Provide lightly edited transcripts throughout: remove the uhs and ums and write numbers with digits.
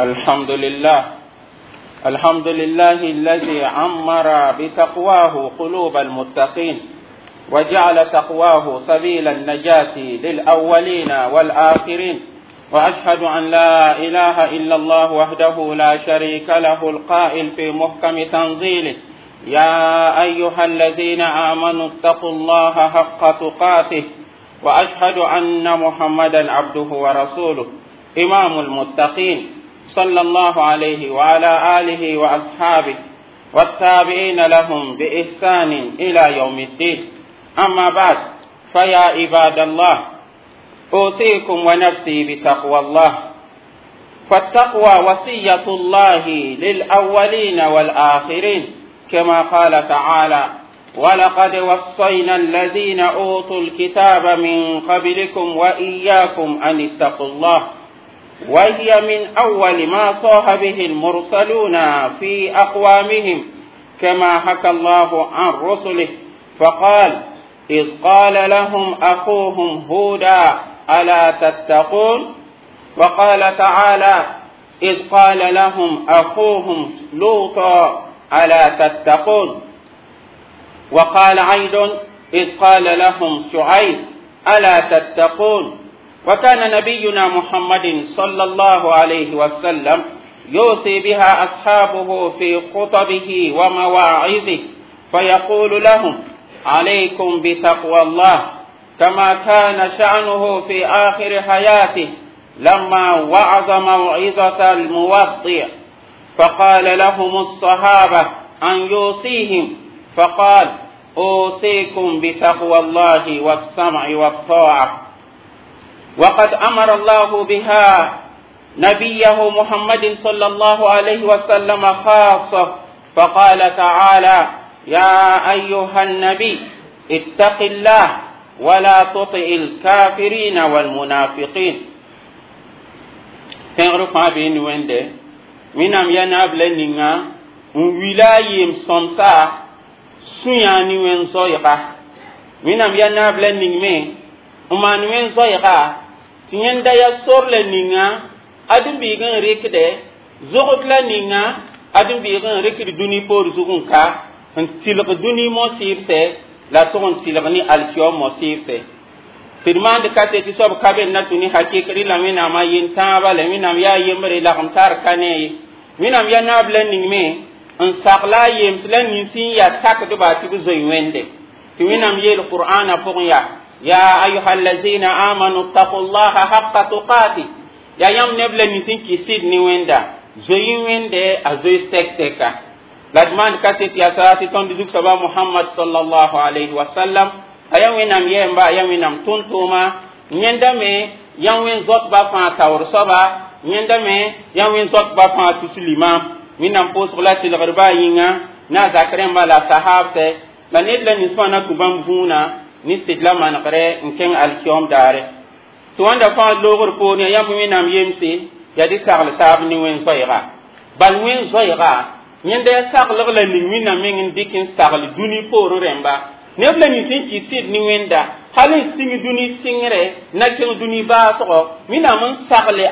الحمد لله، الحمد لله الذي عمر بتقواه قلوب المتقين، وجعل تقواه سبيل النجاة للأولين والآخرين. وأشهد أن لا إله إلا الله وحده لا شريك له، القائل في محكم تنزيله: يا أيها الذين آمنوا اتقوا الله حق تقاته. وأشهد أن محمدا عبده ورسوله إمام المتقين، صلى الله عليه وعلى آله وأصحابه والتابعين لهم بإحسان إلى يوم الدين. أما بعد، فيا عباد الله، أوصيكم ونفسي بتقوى الله، فالتقوى وصية الله للأولين والآخرين، كما قال تعالى: ولقد وصينا الذين أوتوا الكتاب من قبلكم وإياكم أن اتقوا الله. وهي من أول ما صاح به المرسلون في أقوامهم، كما حكى الله عن رسله فقال: إذ قال لهم أخوهم هودا ألا تتقون. وقال تعالى: إذ قال لهم أخوهم لوطا ألا تتقون. وقال أيضا: إذ قال لهم شعيب ألا تتقون. وكان نبينا محمد صلى الله عليه وسلم يوصي بها أصحابه في خطبه ومواعظه، فيقول لهم: عليكم بتقوى الله، كما كان شأنه في آخر حياته لما وعظ موعظة الموضع، فقال لهم الصحابة أن يوصيهم، فقال: أوصيكم بتقوى الله والسمع والطاعة. وقد أمر الله بها نبيه محمد صلى الله عليه وسلم خاصة، فقال تعالى: يا أيها النبي اتق الله ولا تطع الكافرين والمنافقين. Tẽegr fãa bee ne Wẽnde. Wẽnnaam yaa naab la ninga n wila a yem-sõmsa sũ-yã ne wẽn-zoɛɛga. Wẽnnaam yaa naab la ning me n maan wẽn-zoɛɛga tɩ yẽnda yaa sor la ninga ãdem-biig n rɩkdɛ zogd la ninga ãdem-biig n rɩkd dũni poor zug n ka n tɩlg dũni mo-sɩɩbsɛ la tʋg n tɩlg ne alkiom mo-sɩɩbsɛ tɩ d maand ka tɩ soab ka be na tũ ne hakɩk rɩla Wẽnnaam a yen tãabã la Wẽnnaam yaa yembre lagem tar ka ne ye. Wẽnnaam yaa naab la ning me n sagla a yems la nins n yaa sakdba tɩ b zoe Wẽnde, tɩ Wẽnnaam yeel Qur'aana pʋgẽ yaa: ya ayuha allazina amanu ttaqu llaha haqa tuqati. Yaa yãmb neb la nins n kɩs sɩd ne Wẽnda, zoe Wẽnde a zoe sɛk-sɛka. La d maand kaset yaa sa tɩ tõnd zug-soaba Mohamad sallallahu alayhi wa sallam a yaa Wẽnnaam yɛɛmba, a yaa Wẽnnaam tʋm-tʋʋma. Yẽnda me yaa wẽn zoatba fãa taoor soaba, yẽnda me yaa wẽn zoatba fãa tus limam. Wẽnnaam pʋʋsg la tɩlgdba a yĩnga ne a zak rẽmba la sahaabsɛ la ned la nins fãa na tũ bãmb vũuna ne sɩd la manegre n kẽng alkiom daare. Tɩ wãnda fãa loogr poor yaa yãmb Wẽnnaam yemse yaa dɩ sagl taab ne wẽn-zoɛɛga. Bal wẽn-zoɛɛga yẽnda yaa saglg la ning Wẽnnaam meng n dɩk n sagl dũni poor rẽmba neb la nins n kɩs sɩd ne Wẽnda hal n sĩng dũni sɩngre na kẽng dũni baasgɔ. Wẽnnaam n sagle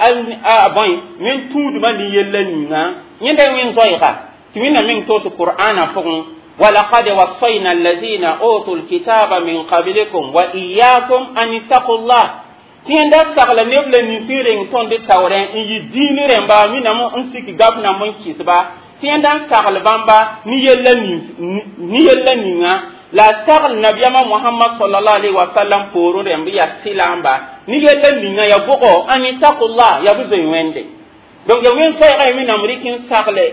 a bõe wẽn tũudmã ne yella ninga yẽnda wẽn-zoɛɛga tɩ Wẽnnaam meng toos Qur'aana pʋgẽ: ولقد وصينا الذين أوتوا الكتاب من قبلكم وإياكم أن اتقوا الله. Tɩ yẽnda sagla neb la nins n reng tõnd taoorẽ n yɩ diin rẽmba Wẽnnaam n sik gab nam n kɩsba tɩ yẽnda n sagl bãmba ne yella ninga la sagl nabiyaamã Mohamad sallallahu alaihi wasallam poorẽ rẽmb yaa sɩlaamba ne yella ninga ya bʋgɔ an ittaqullah ya b zoe Wẽnde. Donc ya wẽn-zoɛɛga ya Wẽnnaam rɩk n sagle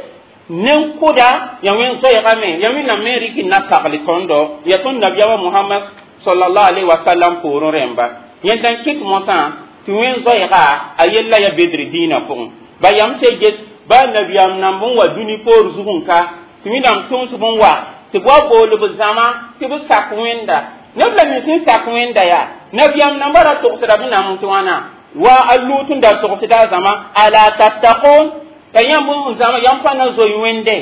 nen-kʋda ya wẽn-zoɛɛga me ya Wẽnnaam me rɩk n na sagl tõndo ya tõnd nabiyaamã Mohamad sallallahu alaihi wasallam poorẽ rẽmba. Yẽnda n kɩt mosã tɩ wẽn-zoɛɛga a yella ya bedr dĩinã pʋgẽ ba yam se get ba nabiyaam namb n wa dũni poor zug n ka tɩ Wẽnnaam tʋms b n wa tɩ b wa bool b zãma tɩ b sak Wẽnda. Neb la nins n sak Wẽnda yaa nabiyaam nambã ra togsda b nam tɩ wãna wa a luut n da togsda a zãma ala tattaqun la yãmb n zãma yãmb pa na zoe Wẽnde.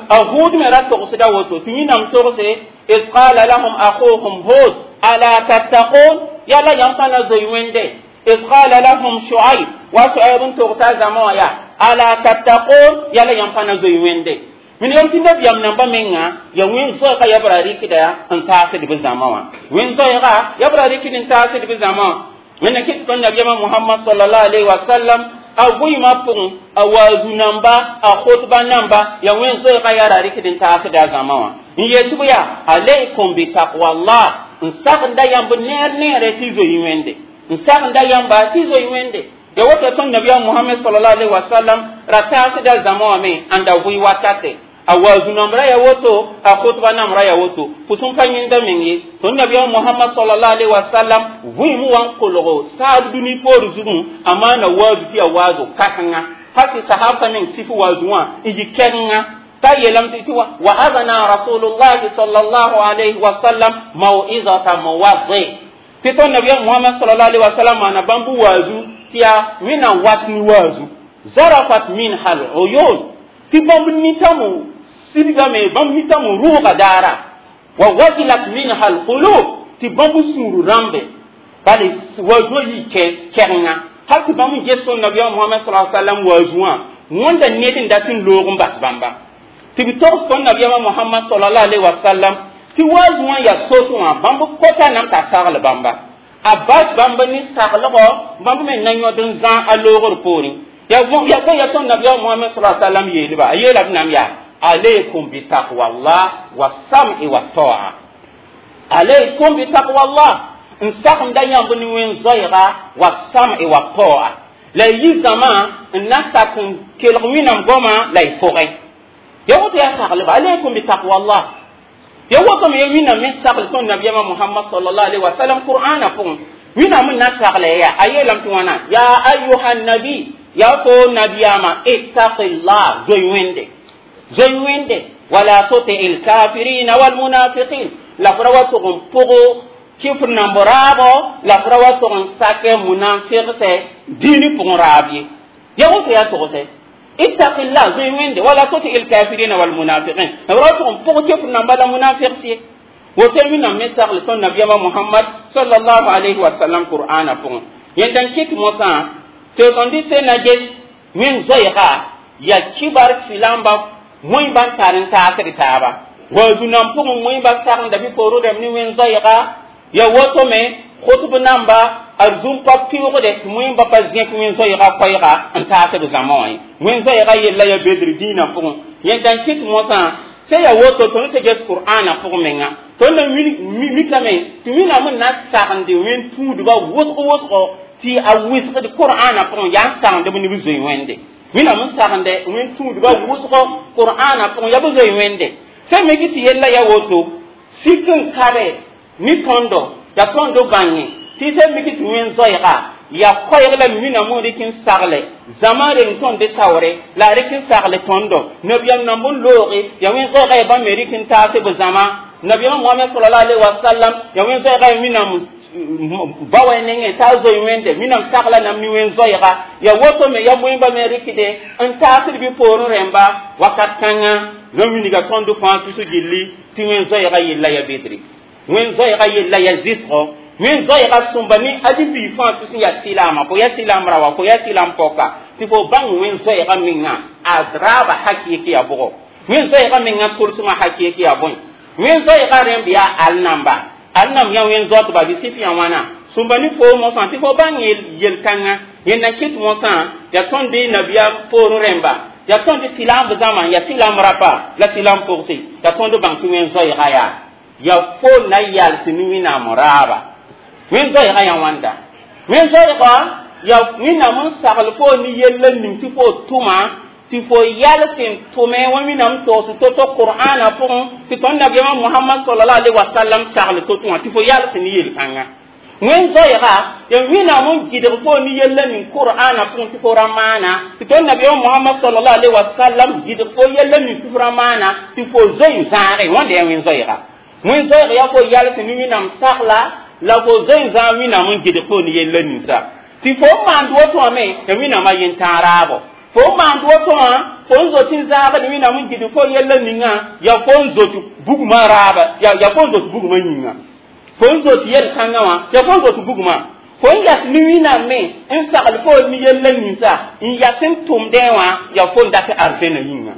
A Hũud me ra togsda woto tɩ Wẽnnaam togse: id qala lahum akhuhum Hud ala tattaqun yala yãmb pa na zoe Wẽnde. إذ قال لهم شعيب وشعيب تغسى زمايا ألا تتقون يلا ينفنا زي ويندي من يوم تنبي يم نبا منا يوين زوجة يبرا ريكدا أن تاسد بزماوا وين زوجة يبرا ريكدا أن تاسد بزماوا من كتب النبي محمد صلى الله عليه وسلم a vɩɩmã pʋgẽ a waazu namba a khutba namba ya wẽn zoeega yaa ra rɩkd n taasda a zãma wã n yet bɩ yaa alaykum bi taqwallah n sagenda yãmb neer neere tɩ zoe wẽnde n sagenda yãmba tɩ zoe wẽnde ya woto tõnd nabiyaam mohamad sallallahu alaihi wasallam ra taasda zãma wã me n da vɩ wakate a waazu nambra ya woto a khutba nambra ya woto pʋsẽn pa yẽnda meng ye tõnd nabiyaam mohamad sallallahu alaihi wasallam vɩɩm wa n kolgo saab dũni poor zugẽ a maana waazu tɩ ya waazo kãsenga hal tɩ sahabsã meng sif waazu wã n yɩ kɛrenga ta yeelame tɩ wa azana rasulullahi sallallahu alaihi wasallam mau'izata muwaddi tɩ tõnd nabiyaam mohamad sallallahu alaihi wasallam maana bãmb waazu tɩ yaa wẽnnaam wat ne waazu zarafat minha al-uyun tɩ bãmb nitamo sidgame bãmb nitame rʋʋga daara wa wajilat minha alqulub tɩ bãmb sũur rãmbe bale waazuã yɩ kɛrenga hal tɩ bãmb n ges tõnd nabiyaam mohamad sa sallam waazuã wẽnda ned n dat n loog n bas bãmba tɩ b togs tõnd nabiyaamã mohamad salallahu alaihi wasallam tɩ waazuã yaa sos wã bãmb kota nam t'a sagl bãmba a bas bãmb ne saglgɔ bãmb me na yõd n zã a loogr poorẽ ya ya tõnd nabiyaam mohamad sa sallam yeelba a yeela b nam yaa عليكم بتقوى الله والسمع والطاعة عليكم بتقوى الله n sagenda yãmb ne wẽn zoeega والسمع والطاعة la y yi zãma n na sak n kelg wẽnnaam goamã la y pʋgẽ ya woto yaa saglba alaykum bitaqwa allah ya woto me ya wẽnnaam me sagl tõnd nabiyaamã muhammad sallallahu alaihi wasallam qur'ana pʋgẽ wẽnnaam n na sagla yaa a yeelame tɩ wãna ya ayuha nabi ya to nabiyaamã ittaqillah zoe wẽnde zoe wẽnde wala tuti lkafirina walmunafiqin la f ra wa tʋg n pʋgo kifr namb raabo la f ra wa tʋg n sake munafigsɛ dĩini pʋgẽ raab ye ya woto yaa togsɛ ittaqillah zoe wẽnde wala tuti lkafirina walmunafiqin la f ra wa tʋg n pʋg kifr namba la munafigs ye woto wẽnnaam me sagl tõnd nabiyaamã muhammad sallallahu alayhi wa sallam qur'ana pʋgẽ yẽnda n kɩt mosã tɩ tõnd sẽn na ges wẽn zoeega ya kibar filamba mõe ban tar n taasd taaba waazu nan pʋgẽ mõe ba sagenda bɩ poorẽ rãmb ne wẽn zoeega ya woto me khutb namba arzum pa pɩʋgde tɩ mõe ba pa zẽk wẽn zoeega koɛɛga n taasd zãma wã ye wẽn zoeega yella ya bedr dĩinã pʋgẽ yẽnda n kɩt mosã sẽn ya woto tõnd sẽn ges qur'ana pʋgẽ menga tõnd na mikame tɩ wẽnnaam n na sagende wẽn tũudba wʋsg wʋsgo tɩ a wɩsgd qur'ana pʋgẽ yaa n sagend b ne b zoe wẽnde wẽnnaam n sagende wẽn tũudba wʋsgo qur'ana pʋgẽ yaa b zoe wẽnde sẽn me tɩ yella ya woto sik n kabe ne tõndo ya tõndo bãnge tɩ sẽn mik tɩ wẽn zoeega ya koɛɛg la wẽnnaam n rɩk n sagle zãma reng tõnd taoore la a rɩk n sagle tõndo nabiyaam namb n looge ya wẽn zoeega ya bãmb me rɩk n taase b zãma nabiyaamã mohamad salallahu alaihi wasallam ya wẽn zoeega ya wẽnnaam ba wa nengẽ t'a zoe wẽnde wẽnnaam sagla nam ne wẽn zoeega ya woto me ya moẽmba me rɩkde n taasd bɩ poorẽ rẽmba wakat kãngã rã wilga tõnd fãa tus gilli tɩ wẽn zoeega yella ya bedre wẽn zoeega yella ya zɩsgo wẽn zoeega sõmba ne adi-bii fãa tus n yaa sɩlaama fo yaa sɩlam ra wa fo yaa sɩlam pɔka tɩ fo bãng wẽn zoeega menga a raaba hakɩɩk yaa bʋgɔ wẽn zoeega menga tʋlsmã hakɩɩk yaa bõe wẽn zoeega rẽmb yaa al namba al nam yã wẽn zoatba bɩ sɩf yã wãna sõmba ne foo mosã tɩ fo bãng yel-kãngã yẽnda kɩt mosã yaa tõnd nabiyaam poorẽ rẽmba yaa tõnd sɩlamb zãma yaa sɩlam rapa la sɩlam pʋgse yaa tõnd bãng tɩ wẽn zoeega yaa ya fo na yals ne wẽnnaam raaba wẽn zoeega yã wãnda wẽn zoeega ya wẽnnaam n sagl fo ne yella ning tɩ fo tʋma tɩ fo yals n tʋme wã wẽnnaam togs to-to qur'ana pʋgẽ tɩ tõnd nabiyaamã mohamad sallallahu alaihi wasallam sagl to-to wã tɩ fo yals ne yel-kãngã wẽn zoeega ya wẽnnaam n gɩdg fo ne yella ning qur'ana pʋgẽ tɩ fo ra maana tɩ tõnd nabiyaamã mohamad sallallahu alaihi wasallam gɩdg fo yella ning tɩ fo ra maana tɩ fo zoe n zãage wãnda yaa wẽn zoeega wẽn zoeega yaa fo yals ne wẽnnaam sagla la fo zoe n zãag wẽnnaam n gɩdg fo ne yella ninsa tɩ fo n maand woto wã me ya wẽnnaamã yentãag raabo fo n maand woto wã fo n zot n zãagd wẽnnaam n gɩdg fo yella ninga ya fo n zot bugmã raaba ya fo n zot bugmã yĩnga fo n zot yel-kãngã wã ya fo n zot bugmã Fo n yas ne Wẽnnaam me n sagl fo ne yella ninsa n yas n tʋmdẽ wã yaa fo n dat arzẽna yĩnga.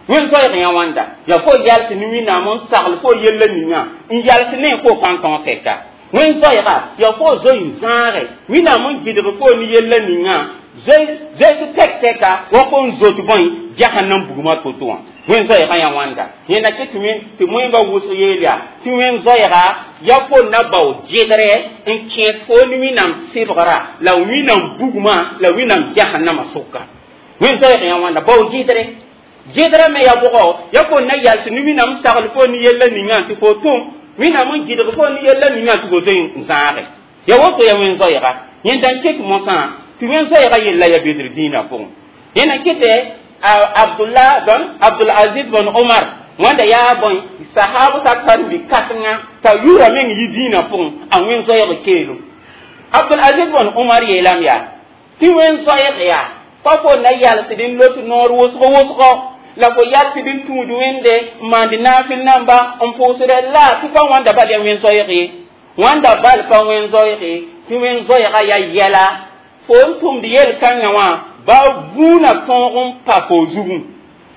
Wẽn-zoeeg yã wãnda yaa fo yals ne Wẽnnaam n sagl fo yella ninga n yals ne fo pãn tõog tɛka. Wẽn-zoeega yaa fo zoe n zãage Wẽnnaam n gɩdg fo ne yella ninga zoees tɛk tɛka wa fo n zot bõe jahannam bugmã to-to wã. Wẽn-zoeegã yã wãnda yẽnda kɩ tɩ wẽmba wʋsg yeel yaa tɩ wẽn-zoeega yaa fo na bao gɩdrɛ n kẽes fo ne Wẽnnaam sɩbgra la Wẽnnaam bugmã la Wẽnnaam jahannamã sʋka. Wẽn-zoeeg yã wãnda bao gɩdrɛ gɩdrã me yaa bʋgɔ yaa fo na yals ne Wẽnnaam sagl fo ne yella ninga tɩ fo tʋm Wẽnnaam n gɩdg fo ne yella ninga tɩ fo zoe n zãage yaa woto yaa wẽn-zoeega. Yẽnda n ket mosã tɩ wẽn-zoeega yella yaa bedr dĩinã pʋgẽ. Yẽna kɩtɛ Abdullah bon Abdul Aziz bon Omar wãnda yaa bõe sahab sa karen-bi kãsenga t'a yʋʋra meng yi dĩinã pʋgẽ a wẽn-zoeeg keelem. Abdul Aziz bon Omar yeelame yaa tɩ wẽn-zoeeg yaa pa fo na yalsd n lot noor wʋsg wʋsgɔ la fo yalsd n tũud wẽnde n maand naafɩl namba n pʋʋsdɛ la tɩ pa wãnda bal yaa wẽn-zoeeg ye, wãnda bal pa wẽn-zoeeg ye tɩ wẽn-zoeega yaa yɛla fo n tʋmd yel-kãngã wã ba vũuna tõog n pa fo zugẽ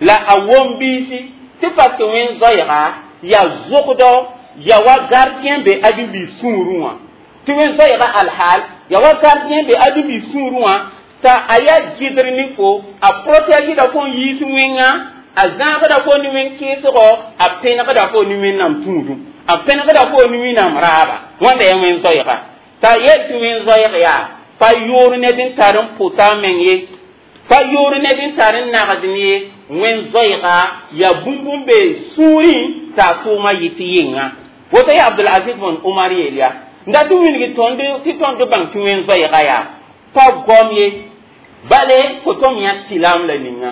la a wom biisi tɩ parce que wẽn-zoeega yaa zʋgdɔ yaa wa gardien be adu-biis sũurẽ wã tɩ wẽn-zoeega alhaal yaa wa gardien be adu-biis sũurẽ wã t'a a yaa gɩdr ne fo a protégeda fo n yiis wẽnga a zãagda fo ne wẽn-kɩɩsgɔ a pẽnegda fo ne Wẽnnaam tũudum a pẽnegda fo ne Wẽnnaam raaba wãnda yaa wẽn-zoeega t'a yel tɩ wẽn-zoeeg yaa pa yoor ned n tar n pʋta a meng ye pa yoor ned n tar n nagd ye wẽn-zoeega yaa bũmb n be sũurẽ t'a a tʋʋmã yɩ tɩ yɩnga woto yaa Abdulaziz bõn Omar yeel yaa n dat tɩ wilg tõnd tɩ tõnd bãng tɩ wẽn-zoeega yaa pa goam ye bale fo tõm yã silaam la ninga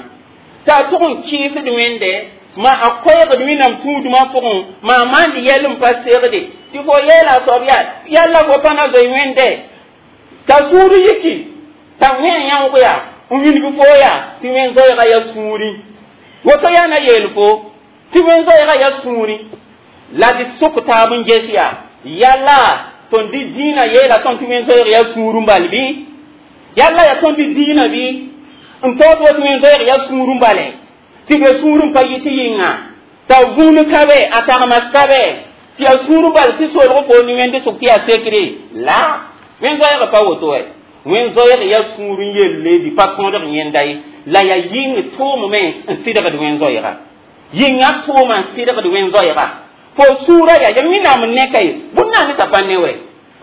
t'a tʋg n kɩɩsd wẽnde ma a koɛɛgd Wẽnnaam tũudmã pʋgẽ ma a maand yɛl n pa segde tɩ fo yeela a soab yaa yalla fo pa na zoe wẽnde t'a sũur yiki t'a wẽ yãoog yaa n wilg fo yaa tɩ wẽn-zoeega yaa sũurẽ woto yaa na yeel fo tɩ wẽn-zoeega yaa sũurẽ la d sʋk taab n ges yaa yalla tõnd dɩ dĩinã yeela tõnd tɩ wẽn-zoeeg yaa sũur n bal bɩ yalla yaa tõnd dɩ dĩinã bɩ n taood wa tɩ wẽn-zoeeg yaa sũur n bale tɩ be sũur n pa yɩ tɩ yɩnga t'a vũun ka be a tagmas ka be tɩ yaa sũur n bal tɩ solg fo ne wẽnd sʋk tɩ yaa sekre la wẽn-zoeeg pa woto wɛ wẽn-zoeeg yaa sũur n yelle dɩ pa tõodg yẽnda ye la yaa yɩng tʋʋmame n sɩdgd wẽn-zoeega yɩnga tʋʋma n sɩdgd wẽn-zoeega fo sũurã yaa ya Wẽnnaam n neka ye bũmb na t'a pa ne wɛ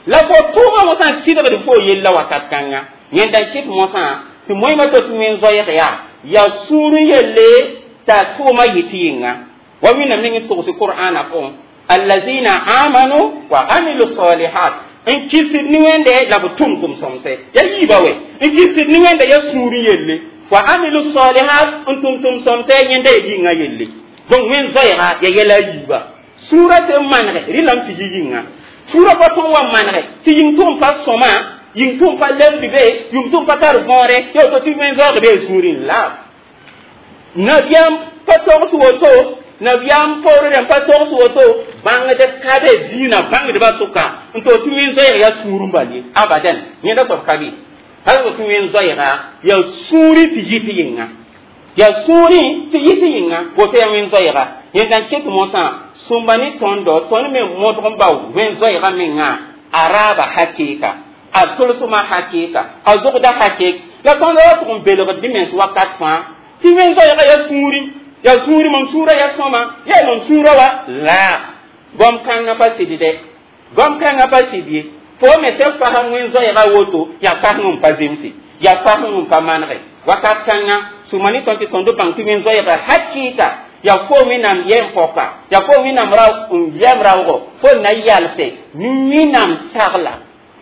la fo tʋʋmã mosã n sɩdgd fo yella wakat kãnga yẽnda n kɩt mosã tɩ moẽmã to tɩ wẽn-zoeeg yaa yaa sũur n yelle t'a tʋʋmã yɩ tɩ yɩnga wa Wẽnnaam ning n togs Qur'aana pʋgẽ allazina amanu wa amilu salihat n kɩsd ne wẽnde la b tʋm tʋm-sõmse yaa yiiba wɛ n kɩsd ne wẽnda yaa sũur n yelle wa amilu salihat n tʋm tʋm-sõmse yẽnda yaa yĩngã yelle donc wẽn-zoeega yaa yɛla a yiiba sũurã sẽn manege rẽlame tɩ yɩ yĩnga sũurã pa tõg n wa manege tɩ yĩng tʋg n pa sõma yĩng tʋg n pa lemd be yĩng tʋg n pa tar võore ya woto tɩ wẽn-zoeeg bee sũurẽ la nabiyaam pa togs woto nabiyaam poorẽ rẽmb pa togs woto bãngd ka be dĩinã bãngdbã sʋka n to tɩ wẽn-zoeeg yaa sũur n bal ye abadan yẽnda soab ka be hal tɩ wẽn-zoeega yaa sũurẽ tɩ yɩ tɩ yɩnga yaa sũurẽ tɩ yɩ tɩ yɩnga woto yaa wẽn-zoeega yẽnda n ket mosã sõmba ne tõndo tõnd me modg n bao wẽn-zoeega menga a raaba hakɩɩka a tolsmã hakɩɩka a zogda hakɩɩk la tõnd ra tʋg n belgd dĩ mens wakat fãa tɩ wẽn-zoeega yaa sũurẽ yaa sũurẽ mam sũurã yaa sõma yaa mam sũurã wa la goam kãngã pa sɩd dɛ goam kãngã pa sɩd ye fo me sẽn fasem wẽn-zoeega woto yaa fasem n pa zemse yaa fasem n pa manege wakat kãngã sũma ne tõnd tɩ tõnd bãng tɩ wẽn-zoeega hakɩɩka yaa fo Wẽnnaam yɛm pɔka yaa fo Wẽnnaam ra yɛm raoogo fo na yalse ne Wẽnnaam sagla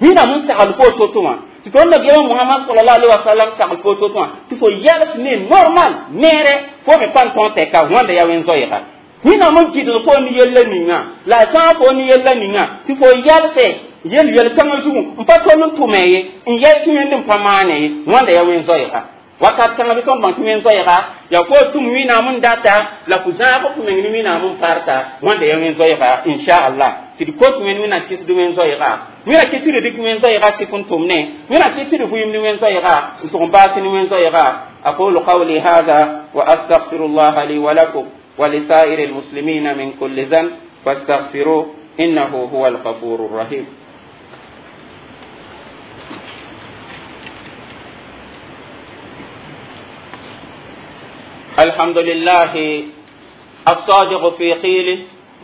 Wẽnnaam n sagl fo to-to wã tɩ tõnd nabiyaamã Mohamad salallahu alaihi wasalam sagl fo to-to wã tɩ fo yals ne normal neere fo me pa n tõog tɛka wãnda yaa wẽn-zoeega Wẽnnaam n gɩdg fo ne yella ninga la a sãag fo ne yella ninga tɩ fo yalse yel yel kãngã zugu n pa tol n tʋme ye n yɛls wẽnd n pa maane ye wãnda yaa wẽn-zoeega. Wakat kãngã bɩ tõnd bãng tɩ wẽn-zoɛɛga yaa fo tʋm Wẽnnaam n data la fo zãag f meng ne Wẽnnaam n parta wãnda yaa wẽn-zoɛɛga inchallah tɩ d kot wẽnd Wẽnnaam kɩsd wẽn-zoɛɛga Wẽnna kɩ tɩ d dɩk wẽn-zoɛɛga sɩk n tʋmne Wẽnna kɩ tɩ d vɩɩm ne wẽn-zoɛɛga n tʋg n baas ne wẽn-zoɛɛga aqulu qawli hada wa astaghfirullaha li wa lakum wa lisairi almuslimina min kulli dhanb fastaghfiruh innahu huwa alghafuru rrahim. الحمد لله الصادق في قيله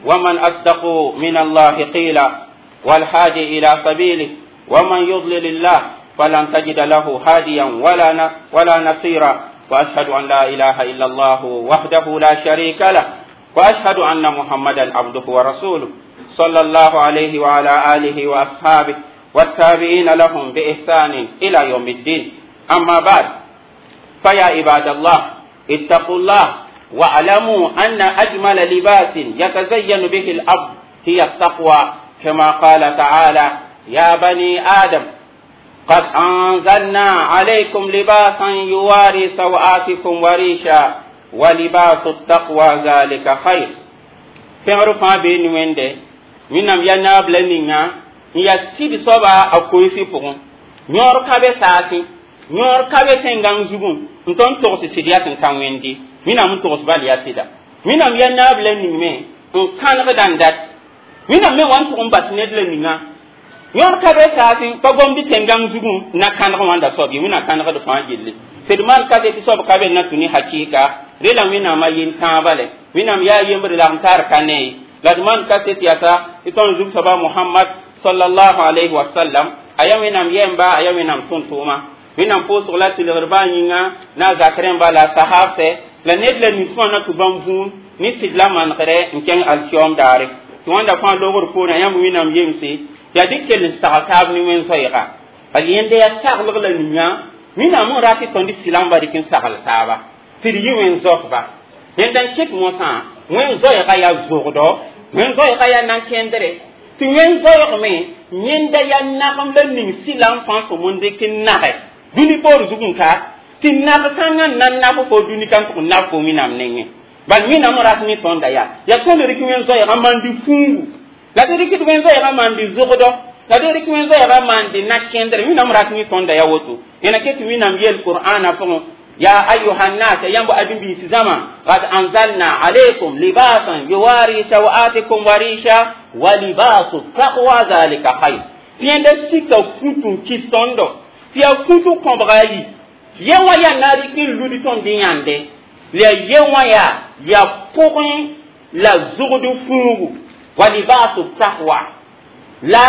ومن أصدق من الله قيلا والهادي إلى سبيله ومن يضلل الله فلن تجد له هاديا ولا نصيرا وأشهد أن لا إله إلا الله وحده لا شريك له وأشهد أن محمدا عبده ورسوله صلى الله عليه وعلى آله وأصحابه والتابعين لهم بإحسان إلى يوم الدين. أما بعد، فيا عباد الله اتقوا الله واعلموا أن أجمل لباس يتزين به الأرض هي التقوى، كما قال تعالى: يا بني آدم قد أنزلنا عليكم لباسا يواري سوآتكم وريشا ولباس التقوى ذلك خير. Pẽgr fãa bee ne wẽnde Wẽnnaam yaa naab la ninga n yaa sɩd soaba a koeesɩ pʋgẽ yõor ka be saasẽ yõor ka be tẽn-gãng zugẽ n tõnd togs sɩd yaa sẽn ka wẽndi Wẽnnaam n togs bal yaa sɩda Wẽnnaam yaa naab la ning me n kãnegda n dat Wẽnnaam me wa n tʋg n bas ned la ninga yõor ka be saasẽ pa gomd tẽn-gãng zugẽ na kãneg wãnda soab ye Wẽnnaam kãnegd fãa gilli sɩd maan kaset tɩ soab ka be na tũ ne hakɩɩka rela Wẽnnaam a yel tãabã lɛ Wẽnnaam yaa yembre lagm tar ka ne ye la d maan kaset yasa tɩ tõnd zug soaba Mohamad sallallahu alayhi wa sallam a yaa Wẽnnaam yɛmba a yaa Wẽnnaam tʋm-tʋʋma Wẽnnaam pʋʋsg la tɩlgr baa yĩnga na a zak rẽmba la a sahaabsɛ la ned la nin-sõa na tʋ bãmb vũun ne sɩd la manegre n kẽng alkiyoom daare tɩ wãnda fãa logr poorẽ yãmb Wẽnnaam yemse yaa dɩk kell n sagl taab ne wẽn-zoɛɛga bal yẽnda yaa saglg la ninga Wẽnnaam n rat tɩ tõnd sɩlãmba dɩk n sagl taaba tɩ d yɩ wẽn-zoakba yẽnda n ket mosã wẽn-zoɛɛga yaa zogdɔ wẽn-zoɛɛga yaa na-kẽndre tɩ wẽn-zoɛɛg me yẽnda yaa nagem la ning sɩlam fãa sõm n dɩk n nage dũni poor zug n ka tɩ nag kãngã n na nab fo dũni ka n tʋg n nab fo Wẽnnaam nengẽ bal Wẽnnaam rat ne tõnda yaa yaa tõnd rɩk wẽn-zoɛɛgã maan-dɩ fuugu la d rɩkd wẽn-zoɛɛgã maan-dɩ zogdɔ la d rɩk wẽn-zoɛɛgã maan-dɩ na-kẽndre Wẽnnaam rat ne tõnda yaa woto yẽna ket tɩ Wẽnnaam yeel Qur'aana pʋgẽ ya ayuha nnas yãmb ãdem-biis zãma qad anzalna alaykum libasan yuwari sawatikum wa risha wa libasu taqwa zalika khayr tɩ yẽnda sika kũt n kɩs tõndo tɩ yaa kũt kõbga yi ye wã yaa na rɩk n lud tõnd yãnde la ye wã yaa pʋgẽ la zogd fuugu wa libasu taqwa la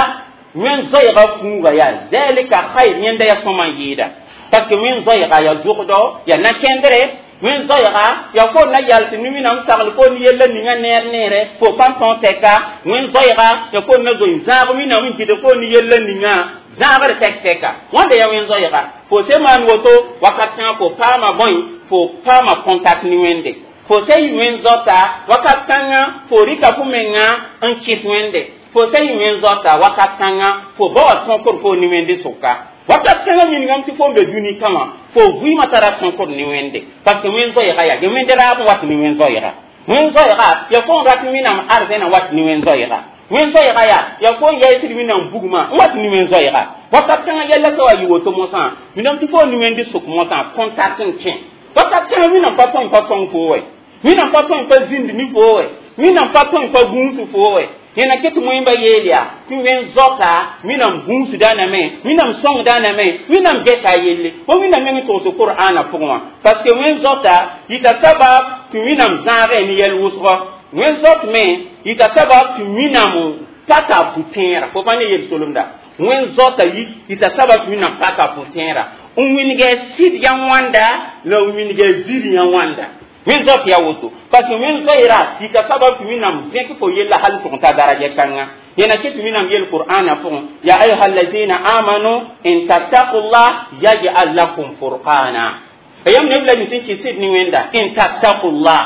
wẽn-zoɛɛga fuuga yaa zalika khayr yẽnda yaa sõma n yɩɩda parce que wẽn-zoɛɛga yaa zogdɔ yaa na-kẽndre wẽn-zoɛɛga yaa fo na yals ne Wẽnnaam sagl fo ne yella ninga neer neere fo pa tõog tɛka wẽn-zoɛɛga yaa fo na zoe zãag Wẽnnaam n gɩdg fo ne yella ninga zãagr tɛk tɛka wãnda yaa wẽn-zoɛɛga fo se maan woto wakat kãngã fo paama bõe fo paama contact ne Wẽnde fo se yɩ wẽn-zoata wakat kãngã fo rɩka fo menga n kɩs Wẽnde fo se yɩ wẽn-zoata wakat kãngã fo ba wa sõkr fo ne Wẽnde sʋka wakat kãngã yĩngame tɩ fo n be dũni kãwã fo vɩɩmã tara sõkr ne Wẽnde parce que wẽn-zoɛɛga yaa wẽnde raab n wat ne wẽn-zoɛɛga wẽn-zoɛɛga yaa fo n rat Wẽnnaam arzɛnã wat ne wẽn-zoɛɛga wẽn-zoɛɛga yaa fo n yaɩsd Wẽnnaam bugmã n wat ne wẽn-zoɛɛga wakat kãngã yɛlla sa wa yɩ woto mosã miname tɩ fo ne Wẽnde sʋk mosã contact n kẽ wakat kãngã Wẽnnaam pa tõe n pa sõng fo wɛ Wẽnnaam pa tõe n pa zĩnd ne fo wɛ Wẽnnaam pa tõe n pa gũus fo wɛ yẽna ket moẽmba yeel yaa tɩ wẽn-zoata Wẽnnaam gũusdãname Wẽnnaam sõngdãname Wẽnnaam geta a yelle fo Wẽnnaam meng togs Qur'aana pʋgẽ wã parce que wẽn-zoata yita sabab tɩ Wẽnnaam zãagɛ ne yɛl wʋsgɔ wẽn-zot me yita sabab tɩ Wẽnnaam paka pʋ-tẽera fo pa ne yel-solemda wẽn-zoata yita sabab tɩ Wẽnnaam paka pʋ-tẽera n wilgɛ sɩd yã wãnda la n wilgɛ zir yã wãnda wẽn-zot yaa woto parce que wẽn-zoeera yita sabab tɩ Wẽnnaam zẽk fo yella hal n tʋg n ta daraja kãnga yẽna ket tɩ Wẽnnaam yel Qur'aana pʋgẽ ya ayuha allazina amanu in tattaqullah yaj'al lakum furqana yãmb neb la nin sẽn kɩs sɩd ne Wẽnda in tattaqullah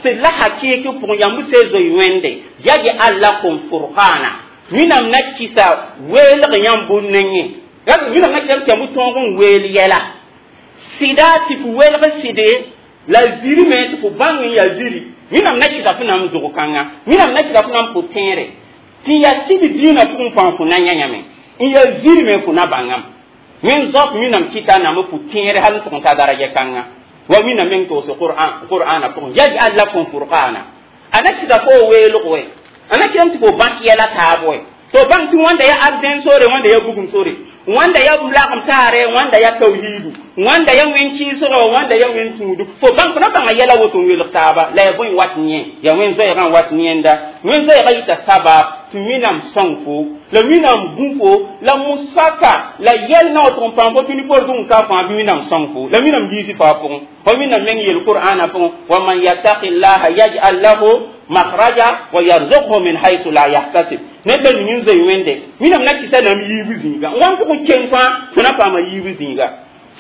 sɩd la hakɩɩk pʋgẽ yãmb se zoe Wẽnde yaj'al lakum furqana Wẽnnaam na kɩsa weelg yãmb nengẽ Wẽnnaam na kɩsame tɩ yãmb tõog n weel yɛla Sɩda tɩ fo welg sɩde la ziri me tɩ fo bãng n yaa ziri. Wẽnnaam na kɩta fo na n zʋg kãnga, Wẽnnaam na kɩta fo na n pʋ-tẽere tɩ yaa sɩd dĩinã pʋgẽ fãa fo na yã yãme n yaa ziri me fo na bãngame. Wẽn zaop Wẽnnaam kɩta na m pʋ-tẽere hal n tʋg n ta daraja kãnga wa Wẽnnaam meng togs Qur'ana pʋgẽ yaj'al lakum furqana. A na kɩta fo weelg we, a na kɩtame tɩ fo bãk yɛla taab we, to bãng tɩ wãnda yaa arzẽn sore, wãnda yaa bugum sore, wãnda yaa lagem taare, wãnda yaa tawhiidu, wãnda yaa wẽn-kɩɩsgɔ, wãnda yaa wẽn-tũudu. Fo bãng fo na bãnga yɛla woto n welg taaba la yaa bõe wat yẽ, yaa wẽn-zoɛɛgã n wat yẽnda. Wẽn-zoɛɛgã yita sabab tɩ Wẽnnaam sõng fo la Wẽnnaam gũ fo la musaka la yɛl na wa tʋg n paam fo dũni poor zugẽ ka fãa bɩ Wẽnnaam sõng fo la Wẽnnaam yiisi fo a pʋgẽ. Wa Wẽnnaam meng yel Qur'ana pʋgẽ wa man yattaqi llaha yaj'al lahu makhraja wa yarzuqhu min haythu la yahtasib. Ned la ning n zoe Wẽnde, Wẽnnaam na kɩsa nam yiibu zĩiga n wa n tʋg n keng fãa fo na paama yiibu zĩiga.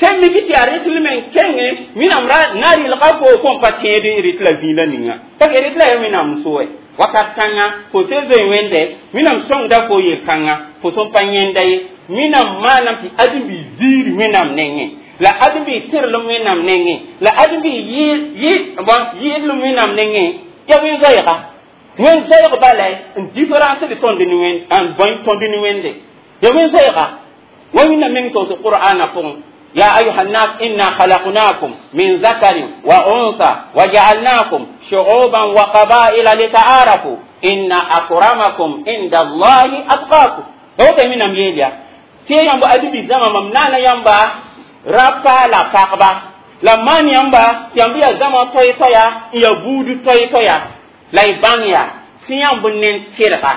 Sẽn mik tɩ yaa rɩtl me n kenge Wẽnnaam ra na rɩlga fo fo n pa tẽed rɩt la zĩig la ninga parce que rɩt la yaa Wẽnnaam so wɛ wakat kãnga fo sẽn zoe Wẽnde, Wẽnnaam sõngda fo yel-kãnga fo sẽn pa yẽnda ye. Wẽnnaam maanam tɩ ãdem-bi ziir Wẽnnaam nengẽ la ãdem-bi tɩrlem Wẽnnaam nengẽ la ãdem-bi yɩɩdlem Wẽnnaam nengẽ yaa wẽn-zoɛɛga. Wẽn-zoɛɛg bala n différence d tõnd ne Wẽnd n bõe tõnd ne Wẽnde ya wẽn-zoɛɛga wa Wẽnnaam meng togs Qur'ana pʋgẽ يا أيها الناس إنا خلقناكم من ذكر وأنثى وجعلناكم شعوبا وقبائل لتعارفوا إن أكرمكم عند الله أتقاكم. هو من أميليا تي يامبا أدبي زما ممنانا يامبا رابا لا فاقبا لا مان يامبا تيامبيا زما توي تويا يا بودو توي تويا لا يبانيا سيامبو نين تيرغا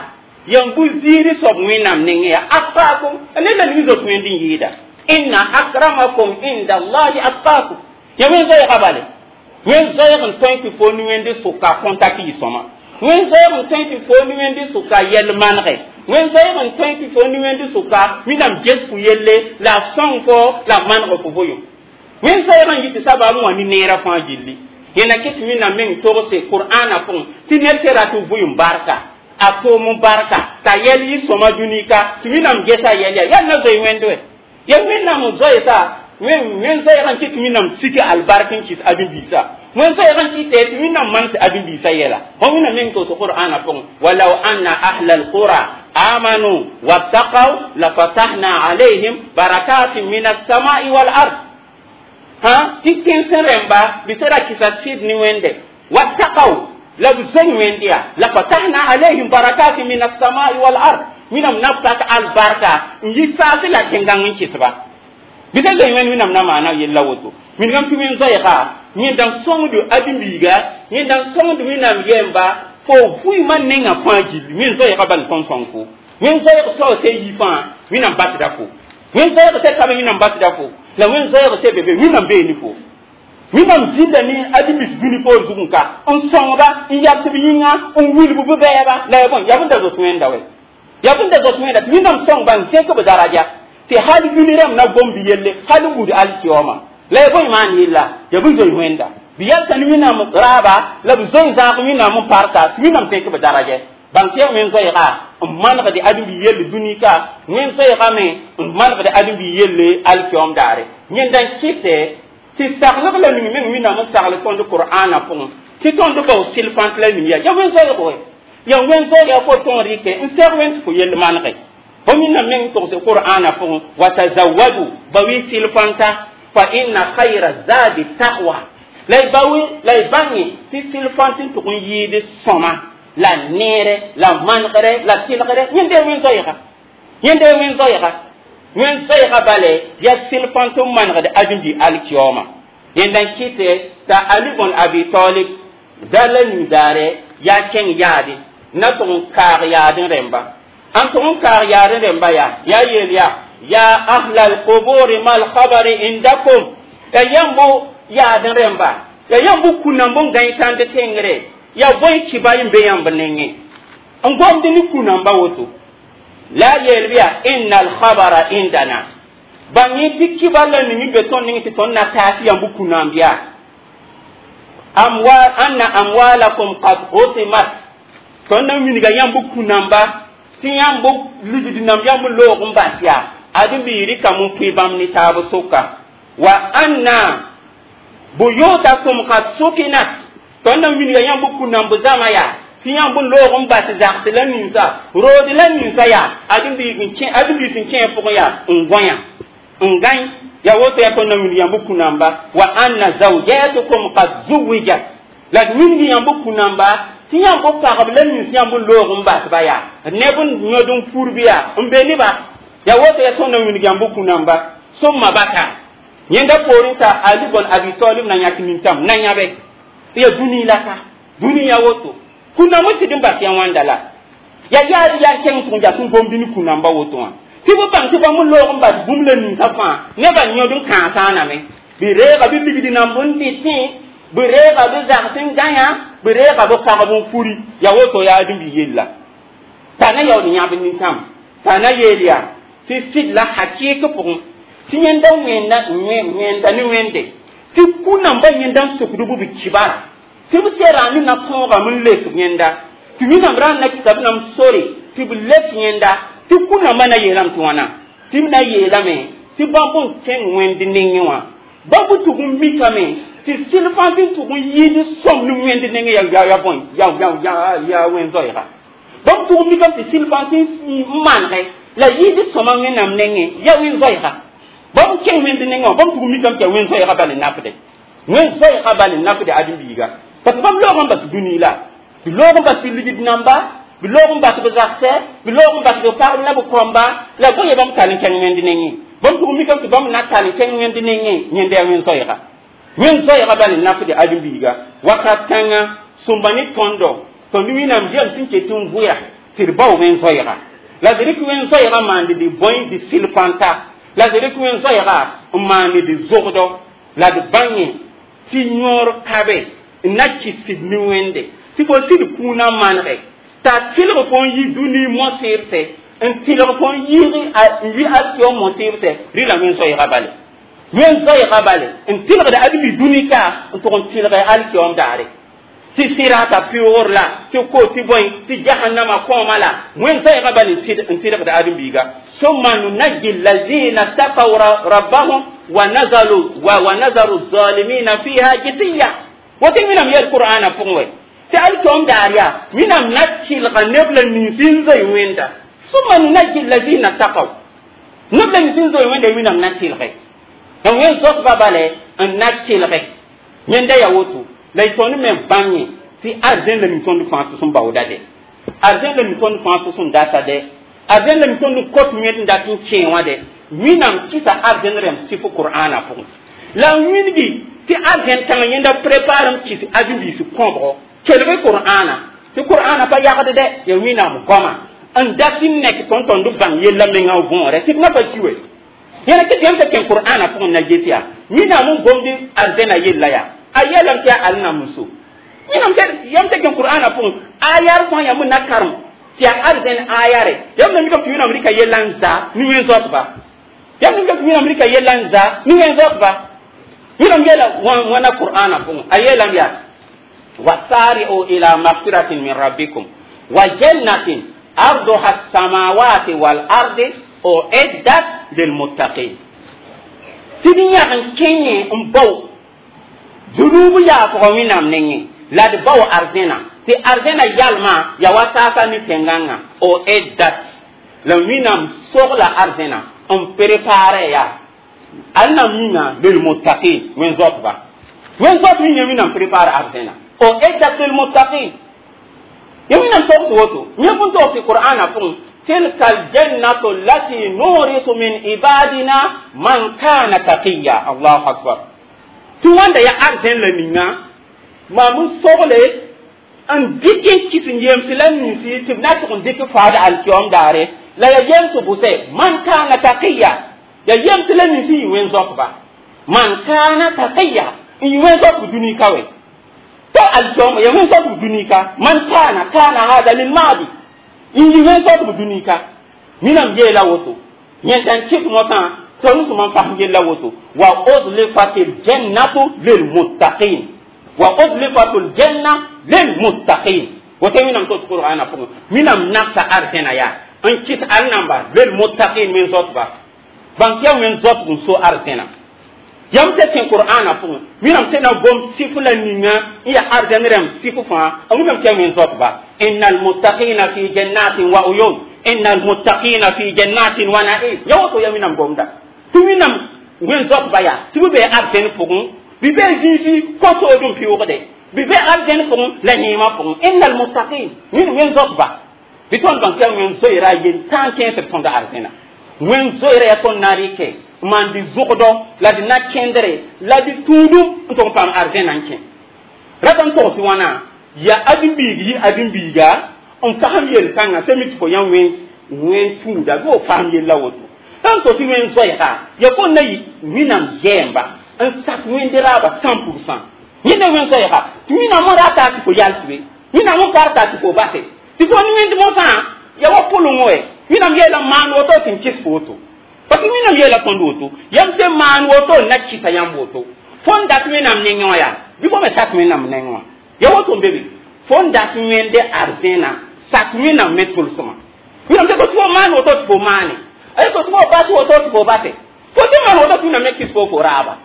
يامبو زيري صوب وينام نينيا أتقاكم أنا لا نيزو تويندين يدا إن أكرمكم عند الله أتقاكم. يا وين زي قبله وين زي غن تي فوني وين دي سوكا كونتاكي يسوما وين زي غن تي فوني وين دي سوكا يل مانغي وين زي غن تي فوني وين دي سوكا مينام جس يلي لا سونفو لا مانغ فوفويو وين زي غن يتي سبا مو ني نيرا فان جيلي ينا كيت مينام مين توغسي قرآن فون تي نيرتي راتو فويم باركا أتوم باركا تا يلي سوما دونيكا تي مينام جسا يلي يا نزوي وين دوي ya Wẽnnaam n zoeesa wẽn zoɛɛg n kɩt Wẽnnaam sik albark n kɩs ãdem-biisã wẽn zoɛɛg n kɩtɛ tɩ Wẽnnaam man tɩ ãdem-biisã yɛla fo Wẽnnaam meng togs Qur'ana pʋgẽ walaw anna ahla alqura amanu wattaqaw lafatahna alayhim barakatin min alsamai walard ha tɩ tẽnsẽ rẽmba bɩ sã ra kɩsa sɩd ne Wẽnde wattaqaw la b zoe Wẽnd yaa lafatahna alayhim barakatin min alsamai walard Wẽnnaam na pak albarka n yi saase la tẽngãng n kɩsba bɩ sã zoe Wẽnd Wẽnnaam na maana yella woto wilgame tɩ wẽn-zoɛɛga yẽnda n sõngd ãdem-biiga yẽnda n sõngd Wẽnnaam yɛmba fo vʋɩɩmã nengã fãa gilli wẽn-zoɛɛga bal n tõnd sõng fo wẽn-zoɛɛg sao sã yi fãa Wẽnnaam basda fo wẽn-zoɛɛg sã tabe Wẽnnaam basda fo la wẽn-zoɛɛg sã be be Wẽnnaam beene fo Wẽnnaam zĩnda ne ãdem-biis dũni poor zugẽ ka n sõngba n yabsb yĩnga n wilb b bɛɛba la ya bõe yaa bõe da zoet Wẽnda wɛ ya bõe da zoet Wẽnda tɩ Wẽnnaam sõngba n zẽk b daraja tɩ hal dũni rãmb na gom bɩ yelle hal n gũud alkiyooma la ya bõe maan yella ya bõe zoe Wẽnda bɩ yalsa ne Wẽnnaam raaba la b zoe zãag Wẽnnaam n parka tɩ Wẽnnaam zẽk b daraja bãng tɩ yaa wẽn-zoɛɛga n manegd ãdem-bi yelle dũni ka wẽn-zoɛɛga me n manegd ãdem-bi yelle alkiyoom daare yẽnda n kɩtɛ tɩ saglg la ning meng Wẽnnaam n sagl tõnd Qur'ana pʋgẽ tɩ tõnd bao sɩlfãnt la ning yaa wẽn-zoɛɛg wɛ ya wẽn-zoɛɛga fo tõog rɩkɛ n sɛg wẽnd tɩ fo yell manege fo Wẽnnaam meng togse Qur'ana pʋgẽ wa tazawadu ba wi sɩlfãnta fa inna khayra zadi taqwa la y ba la y bãnge tɩ sɩlfãnt n tʋg n yɩɩd sõma la neere la manegre la tɩlgre yẽnde wẽn-zoɛɛga yẽnde wẽn-zoɛɛga wẽn-zoɛɛga bale yaa sɩlfãnt n manegd ãdem-bi alkiyooma yẽnda n kɩtɛ t'a Ali bõn Abi Talib da la ning-daare yaa kẽng yaade na tʋg n kaag yaad n rẽmba n tʋg n kaag yaad n rẽmba yaa yaa yeel yaa ya ahla alquburi ma alkhabari indakum ya yãmb yaad n rẽmba ya yãmb kũnamb n gãe tãnd tẽngre ya bõe kiba n be yãmb nengẽ n gomd ne kũnamba woto la yeel bɩ yaa inna alkhabara indana bãng yẽ tɩ kiba la ning be tõnd ning tɩ tõnd na taas yãmb kũnamb yaa amwal anna amwalakum qad hutimat tõnd na wilga yãmb kũnamba tɩ yãmb ligd nam yãmb loog n bas yaa ãdem-biig rɩkame n pʋɩ bãmb ne taab soka Wa anna buyutakum qad sukinat. Tõnd na wilga yãmb kũ-namb zãma yaa tɩ yãmb n loog n bas zags la ninsa rood la ninsa yaa ãdem-biis n kẽ pʋgẽ yaa n gõyã n gãe ya woto yaa tõnd na wilg yãmb kũ-namba. Wa anna zawjatukum qad zuwijat. La d wilg yãmb kũ-namba tɩ yãmb pagb la nins yãmb n loog n basba yaa neb n yõd n purb yaa n be neba ya woto yaa tõnd na wilg yãmb kũ-namba. Sũmma baka yẽnda poorẽ t'a Ali bn Abi Talib na yãk nintãm na yãbe tɩ ya dũni la ka dũni ya woto kũnam n sɩd n bas ya wãnda la ya yaad yaa kẽng tʋg n jas n gomd ne kũ-namba woto wã tɩ b bãng tɩ bãmb n loog n bas bũmb la ninsã fãa nebã yõd n kãasaaname bɩ reega bɩ ligd namb n dɩtẽ bɩ reega bɩ zags n gãyã bɩ reega bɩ pagb n furi ya woto yaa dũmbi yella t'a na yaood yãb nintãm t'a na yeel yaa tɩ sɩd la hakɩɩk pʋgẽ tɩ yẽnda wẽnda ne wẽnde tɩ kũ-nambã yẽnda n sokd b kibara tɩ b sera ne na tõogame n lek yẽnda tɩ Wẽnnaam ra n na kɩta b nam sore tɩ b lek yẽnda tɩ kũ-nambã na yeelame tɩ wãna tɩ b na yeelame tɩ bãmb n kẽng wẽnd nengẽ wã bãmb tʋg n mikame tɩ sɩl fãa sẽn tʋg n yɩɩd sõm ne wẽnd nengẽ ya bõe ya wẽn-zoɛɛga bãmb tʋg n mikame tɩ sɩl fãa sẽn n manegɛ la yɩɩd sõma Wẽnnaam nengẽ ya wẽn-zoɛɛga bãmb kẽng wẽnd nengẽ wã bãmb tʋg n mikame tɩ ya wẽn-zoɛɛga bal n napde wẽn-zoɛɛga bal n napde ãdem-biiga parce que bãmb loog n bas dũni la bɩ loog n bas bɩ ligd namba bɩ loog n bas b zagsɛ bɩ loog n bas b pagb la b kõmba la bõe ya bãmb tall n kẽng wẽnd nengẽ bãmb tʋg n mikame tɩ bãmb na tall n kẽng wẽnd nengẽ yẽnda yaa wẽn-zoɛɛga wẽn-zoɛɛga bal n napde ãdem-biiga wakat kãnga sõmba ne tõndo tõnd Wẽnnaam yam sẽn ket n vʋya tɩ d bao wẽn-zoɛɛga la d rɩk wẽn-zoɛɛga maand d bõe d sɩl fãnta la d rɩk wẽn-zoɛɛga n maand d zogdo la d bãngẽ tɩ yõor kabe n na kɩs ne wẽnde tɩ fo sɩd kũunã manege t'a tɩlg fo n yi dũni mosɩɩbsɛ n tɩlg fo n yiig n yi alkiom mosɩɩbsɛ rɩla wẽn-zoɛɛga bale wẽn-zoɛɛga bale n tɩlgd adbi dũni ka n tʋg n tɩlgɛ alkiom daare tɩ sɩrata pɩʋʋr la tɩ ko tɩ bõe tɩ jahannama kõoma la wẽn-zoɛɛga bal n tɩlgd ãdem-biiga. Summa nunajji allazina taqaw rabbahum wa nazalu wa nazaru zalimina fiha jisiya woto Wẽnnaam yel Qur'ana pʋgẽ wɛ tɩ alkiom daar yaa Wẽnnaam na tɩlga neb la nins n zoe wẽnda. Summa nunajji allazina taqaw neb la nins n zoe wẽnda Wẽnnaam na tɩlge n wẽn-zoetba bale n na tɩlge yẽnda ya woto la y tõnd me bãngẽ tɩ arzẽn la mi tõnd fãa tʋs n baooda dɛ arzẽn la mi tõnd fãa tʋs n data dɛ arzẽn la mi tõnd kot wẽnd n dat n kẽe wã dɛ Wẽnnaam kɩsa arzẽn rẽmb sɩf Qur'ana pʋgẽ la n wilgi tɩ arzẽn kãngã yẽnda prépare n kɩs ãdem-biis kõbgo kelg Qur'ana tɩ Qur'ana pa yagd dɛ ya Wẽnnaam goama n dat n nek tõnd tõnd bãng yella menga võore tɩ d na pa ki we yẽna tɩ yãmb t'a kẽn Qur'ana pʋgẽ na ges yaa Wẽnnaam n gomd arzẽna yella yaa a yeelame tɩ yaa al-nam n so Wẽnnaam yãmb t'a kẽn Qur'ana pʋgẽ ayar fãa yãmb n na karem tɩ yaa arzẽn ayare yãmb na mikame tɩ Wẽnnaam rɩka yella n za ne wẽn-zoatba yãmb na mikame tɩ Wẽnnaam rɩka yella n za ne wẽn-zoatba Wẽnnaam yeela wãna Qur'ana pʋgẽ a yeelame yaa wasari'u ila magfiratin min rabbikum wa jannatin arduha as-samawati wal ardi uiddat lilmuttaqin tɩ d yãg n kẽngẽ n bao zunub yaafgã Wẽnnaam nengẽ la d bao arzẽna tɩ arzẽna yalmã ya wa saasa ne tẽngãngã uiddat la Wẽnnaam sogla arzẽna n prépare yaa al na minga lilmuttaqin wẽn-zoatba wẽn-zoat yẽ Wẽnnaam prépare arzẽna uiddat lilmuttaqin ya Wẽnnaam togs woto yẽ bõn togs Qur'ana pʋgẽ tilka aljannatu allati nurisu min ibadina man kana taqiya. Allahu akbar tɩ wãnda ya arzẽn la ninga maam n sogle n dɩk n kɩs n yems la ninsi tɩ b na tʋg n dɩk faad alkiom daare la ya yems bʋsɛ man kana taqiya ya yems la ninsi yɩ wẽn-zoatba man kana taqiya n yɩ wẽn-zoatb dũni ka we to alkiom ya wẽn-zoatb dũni ka man kana kana hada lilmadi n yɩ wẽn-zoatb dũni ka Wẽnnaam yeela woto yẽnda n kɩt mosã tõnd sẽm n fasem yella woto wa uzlifatil jannatu lilmuttaqin wa uzlifatul janna lilmuttaqin woto Wẽnnaam tos Qur'ana pʋgẽ Wẽnnaam nagsa arzẽna yaa n kɩs al-namba lilmuttaqin wẽn-zoatba bãng tɩ yaa wẽn-zoatb n so arzẽna Yãmb sẽn kẽ Qur'ana pʋgẽ, Wẽnnaam sẽn na gom sɩf la ninga n yaa arzɛn rãmb sɩf fãa, a Wẽnnaam tɩ yaa wẽn-zoatba. Innal muttaqina fi jannatin wa uyun, innal muttaqina fi jannatin wa na'im. Ya woto yaa Wẽnnaam gomda tɩ Wẽnnaam wẽn-zoatba yaa tɩ b bee arzɛn pʋgẽ, bɩ bee zĩisi ko-soodum pɩʋʋgde, bɩ be arzɛn pʋgẽ la yẽemã pʋgẽ. Innal muttaqin, wẽn-zoatba bɩ tõnd bãng tɩ yaa wẽn-zoeera yel-tãag kẽesd tõnd arzɛna. Wẽn-zoeera yaa tõnd na rɩkɛ n maan dɩ zʋgdɔ la dɩ na-kẽndre la dɩ tũudum n tʋg n paam arzɛnã n kẽ. Rata n togs wãna yaa ãdem-biig yɩ ãdem-biiga n fasem yel-kãngã sẽn mi tɩ fo yã wẽn tũuda bɩ fo fasem yella woto. Sã n tos tɩ wẽn-zoɛɛga yaa fo na yɩ Wẽnnaam yɛɛmba n sak wẽnde raaba 100%. Yẽnda wẽn-zoɛɛga tɩ Wẽnnaam n rata tɩ fo yals be, Wẽnnaam n karta tɩ fo base tɩ fo ne wẽnd mosã yaa wa pʋleng wɛ. Wẽnnaam yeela maan woto tɩ n kɩs fo woto, parce que Wẽnnaam yeela tõnd woto, yãmb sẽn maan woto n na kɩsa yãmb woto. Fõn dat Wẽnnaam nengẽ wã yaa bɩ fo me sak Wẽnnaam nengẽ wã ya woto n be be. Fõn dat wẽnde arzẽna sak Wẽnnaam me tʋlsmã. Wẽnnaam tɩ fo maan woto tɩ fo maane, a tɩ fo bas woto tɩ fo base, fo sẽn maan woto tɩ Wẽnnaam me kɩs fo fo raaba.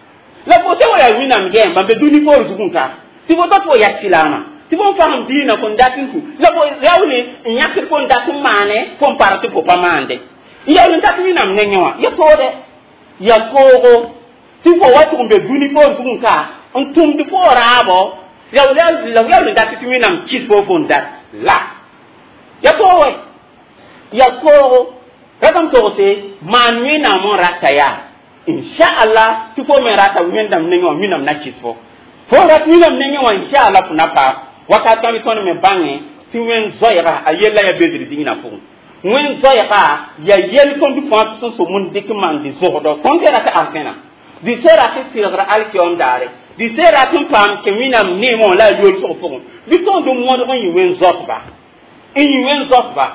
La fo sẽn wa yaa Wẽnnaam yɛɛmba n be dũni poor zugẽ ka tɩ fo tot fo yaa silaamã tɩ fo n fasem diinã fõn dat n tũ la fo yaoole n yãkd fõn dat n maane fõn par tɩ fo pa maande n yaool n dat Wẽnnaam nengẽ wã ya toode ya toogo tɩ fo wa tʋg n be dũni poor zugẽ ka n tũmd fo raabo la yaool n dat tɩ Wẽnnaam kɩs fo fõn dat la ya toog ya toogo. Ratame togse maan Wẽnnaam n rata yaa inshaallah tɩ fo me rata Wẽnnaam nengẽ wã, Wẽnnaam na kɩs fo fo rat Wẽnnaam nengẽ wã inshaallah fo na paam. Wakat kãng tõnd me bãnge tɩ wẽn-zoɛɛga a yella yaa bedr dĩinã pʋgẽ. Wẽn-zoɛɛga yaa yel tõnd fãa sẽn so mun dɩk n maan dɩ zogdɔ tõnd tɩ rat arzẽna dɩ sẽn rat tɩlgr alkiyoom daare dɩ sẽn rat n paam kẽ Wẽnnaam neemã wã la a yolsg pʋgẽ bɩ tõnd modg n yɩ wẽn-zoatba n yɩ wẽn-zoatba.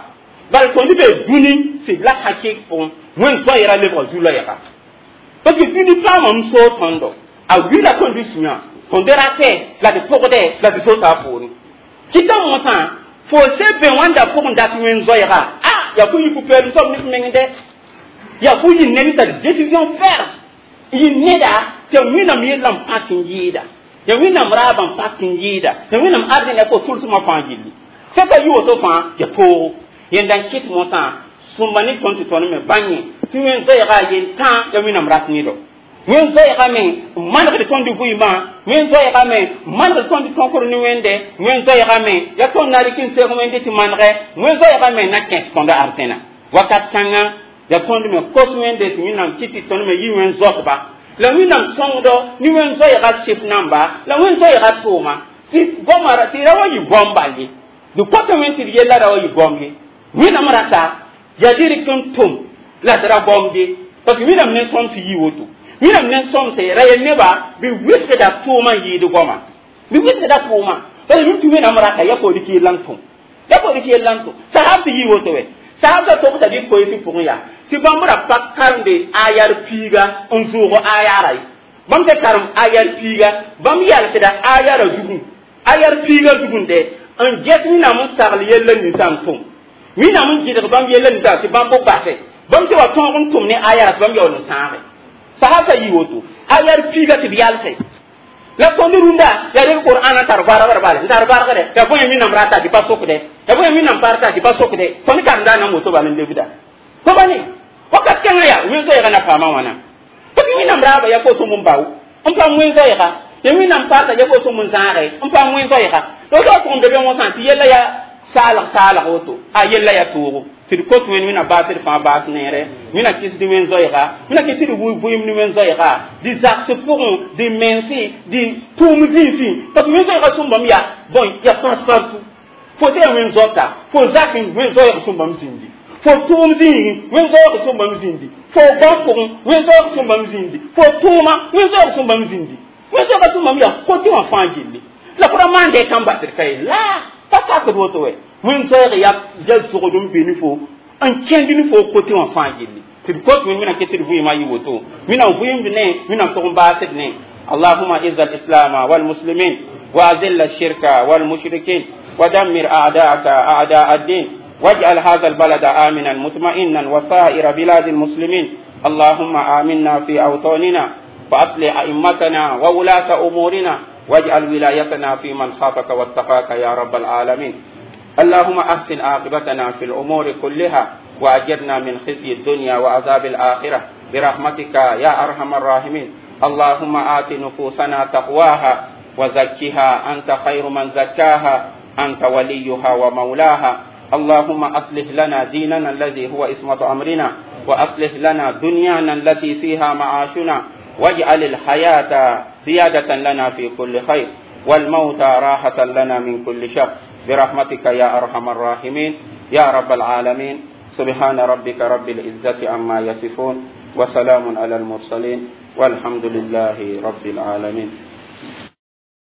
Bala tõnd be dũni sɩd la hakɩk pʋgẽ wẽn-zoɛɛra lebga zu-loɛɛga parce que dũni paamame n soog tõndo a wila tõnd sũyã tõnd ratɛ la d pʋgdɛ la d sota a poorẽ kɩta mosã fo se bẽ wãnda pʋgẽ dat wẽn-zoɛɛga a yaa fo yɩ pʋ-peelem soab ne f meng dɛ yaa fo yɩ ned n tar décision ferme yɩ neda tɩ Wẽnnaam yellã n pãk n yɩɩda ya Wẽnnaam raabã n pãk n yɩɩda ya Wẽnnaam arzẽna fo tʋlsmã fãa gilli sẽn ka yɩ woto fãa ya toogo. Yẽnda n kɩt mosã sõmba ne tõnd tɩ tõnd me bãnge tɩ wẽn-zoɛɛga yel-tãa ya Wẽnnaam rat nedɔ. Wẽn-zoɛɛga me n manegd tõnd vɩɩmã, wẽn-zoɛɛga me n manegd tõnd tõkr ne wẽnde, wẽn-zoɛɛga me yaa tõnd na rɩk n seg wẽnde tɩ manegɛ, wẽn-zoɛɛga me na kẽs tõnd arzẽna. Wakat kãngã yaa tõnd me kos wẽnde tɩ Wẽnnaam kɩt tɩ tõnd me yɩ wẽn-zoatba la Wẽnnaam sõngdɔ ne wẽn-zoɛɛga sɩf namba la wẽn-zoɛɛga tʋʋma tɩ goamã tɩ ra wa yɩ goam bal ye dɩ kõta wẽnd tɩ d yella ra wa yɩ goam ye. Wẽnnaam rata yaa dɩ rɩk n tʋm la d ra goamde parce que Wẽnnaam ne sõms yɩ woto. Wẽnnaam ne sõmse ra yel nebã bɩ wɩsgda tʋʋmã n yɩɩd goama bɩ wɩsgda tʋʋmã parce que tɩ Wẽnnaam rata ya fo rɩk yella n tʋm ya fo rɩk yella n tʋm sahab tɩ yɩ woto wɛ sahab t'a togsa bɩ koeesɩ pʋgẽ yaa tɩ bãmb ra pa karemde ayar piiga n zʋʋg ayara ye bãmb tɩ karem ayar piiga bãmb yalsda ayara zugẽ ayar piiga zugẽ n ges Wẽnnaam n sagl yella ninsã n tʋm Wẽnnaam n gɩdg bãmb yella ninsã tɩ bãmb b basɛ bãmb tɩ wa tõog n tʋm ne ayara tɩ bãmb yaool n sãage sahab t'a yɩ woto ayar piiga tɩ b yalsɛ la tõnd rũndã yaa rek Qur'an n tar bargr bale n tar bargdɛ yaa bõe Wẽnnaam rata tɩ pa sokdɛ yaa bõe Wẽnnaam parta tɩ pa sokdɛ tõnd karemda nan woto bal n lebda fo ba ne wakat kãngã yaa wẽn-zoɛɛga na paama wãna parce que Wẽnnaam raaba yaa fo sõm n bao n paam wẽn-zoɛɛga ya Wẽnnaam parta yaa fo sõm n zãage n paam wẽn-zoɛɛga la woto pʋgẽ be be wõsã tɩ yella yaa saalg saalg woto a yella yaa toogo tɩ d kot wẽnd Wẽnnaam baasd fãa baas neere Wẽnnaam kɩsd wẽn-zoɛɛga Wẽnnaam kɩs tɩ d vɩɩm ne wẽn-zoɛɛga dɩ zags pʋgẽ dɩ mense dɩ tʋʋm zĩisẽ parce que wẽn-zoɛɛga sũmbame yaa bõe yaa passe partout fo sã yaa wẽn-zoata fo zak wẽn-zoɛɛg sũmbame zĩndi fo tʋʋm zĩigẽ wẽn-zoɛɛg sũmbame zĩndi fo gão pʋgẽ wẽn-zoɛɛg sũmbame zĩndi fo tʋʋma wẽn-zoɛɛg sũmbame zĩndi wẽn-zoɛɛga sũmbame yaa kote wã fãa gilli la fo ra maande kãn basd ka ye la pa sakd woto wɛ wẽn-zoɛɛg yaa zogd n be ne fo n kẽnd ne fo kote wã fãa gilli tɩ d kot wẽnd Wẽnnaam kɩ tɩ d vɩɩmã yɩ woto Wẽnnaam vɩɩmd ne Wẽnnaam tʋg n baasd ne. اللهم اعز الاسلام والمسلمين واذل الشرك والمشركين ودمر اعداءك اعداء الدين واجعل هذا البلد امنا مطمئنا وسائر بلاد المسلمين. اللهم امنا في اوطاننا. وأصلح أئمتنا وولاة أمورنا، واجعل ولايتنا في من خافك واتقاك يا رب العالمين. اللهم أحسن عاقبتنا في الأمور كلها، وأجرنا من خزي الدنيا وعذاب الآخرة برحمتك يا أرحم الراحمين. اللهم آت نفوسنا تقواها وزكها، أنت خير من زكاها، أنت وليها ومولاها. اللهم أصلح لنا ديننا الذي هو عصمة أمرنا، وأصلح لنا دنيانا التي فيها معاشنا، واجعل الحياة زيادة لنا في كل خير، والموت راحة لنا من كل شر، برحمتك يا أرحم الراحمين يا رب العالمين. سبحان ربك رب العزة عما يصفون، وسلام على المرسلين، والحمد لله رب العالمين.